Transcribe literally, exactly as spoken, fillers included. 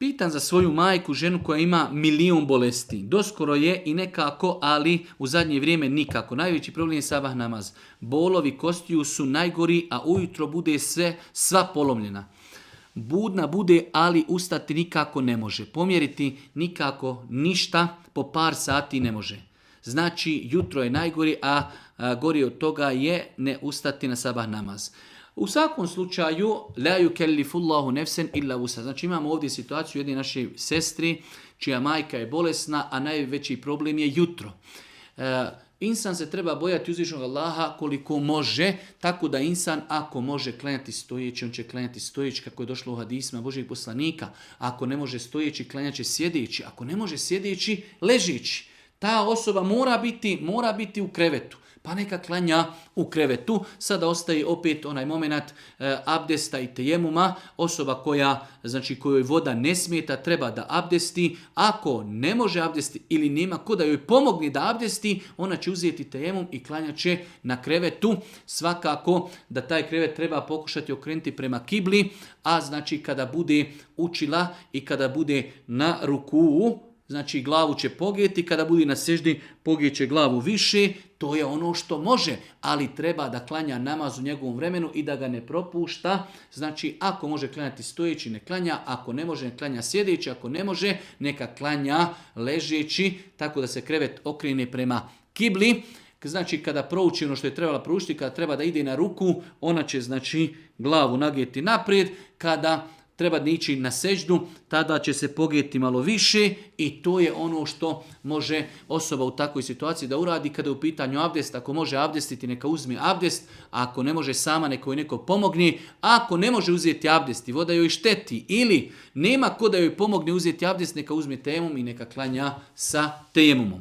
Pitan za svoju majku, ženu koja ima milijun bolesti. Doskoro je i nekako, ali u zadnje vrijeme nikako. Najveći problem je sabah namaz. Bolovi kostiju su najgori, a ujutro bude sve, sva polomljena. Budna bude, ali ustati nikako ne može. Pomjeriti nikako ništa, po par sati ne može. Znači, jutro je najgori, a, a gori od toga je ne ustati na sabah namaz. U svakom slučaju, la yukellifullahu nefsen illa wusa. Znači imamo ovdje situaciju jedne naše sestri, čija majka je bolesna, a najveći problem je jutro. E, insan se treba bojati uzvišenog Allaha koliko može, tako da insan ako može klanjati stojeći, on će klanjati stojeći kako je došlo u hadisima Božjeg poslanika. Ako ne može stojeći, klanjat će sjedeći. Ako ne može sjedeći, ležeći. Ta osoba mora biti, mora biti u krevetu. Pa neka klanja u krevetu. Sada ostaje opet onaj moment e, abdesta i tejemuma. Osoba koja, znači kojoj voda ne smeta, treba da abdesti. Ako ne može abdesti ili nema ko da joj pomogne da abdesti, ona će uzeti tejemum i klanjat će na krevetu. Svakako da taj krevet treba pokušati okrenuti prema kibli, a znači kada bude učila i kada bude na rukuu, znači glavu će pogijeti, kada bude na seždi pogijeće glavu više, to je ono što može, ali treba da klanja namaz u njegovom vremenu i da ga ne propušta. Znači ako može klanjati stojeći, ne klanja, ako ne može, ne klanja sjedeći, ako ne može, neka klanja ležeći, tako da se krevet okrene prema kibli. Znači kada prouči ono što je trebala proučiti, kada treba da ide na ruku, ona će znači glavu nagijeti naprijed, kada treba da ići na seždu, tada će se pogijeti malo više i to je ono što može osoba u takvoj situaciji da uradi kada je u pitanju abdest. Ako može abdestiti, neka uzme abdest, a ako ne može sama, neka joj neko pomogne. Ako ne može uzeti abdest i voda joj šteti ili nema ko da joj pomogne uzeti abdest, neka uzme tejemum i neka klanja sa tejemumom.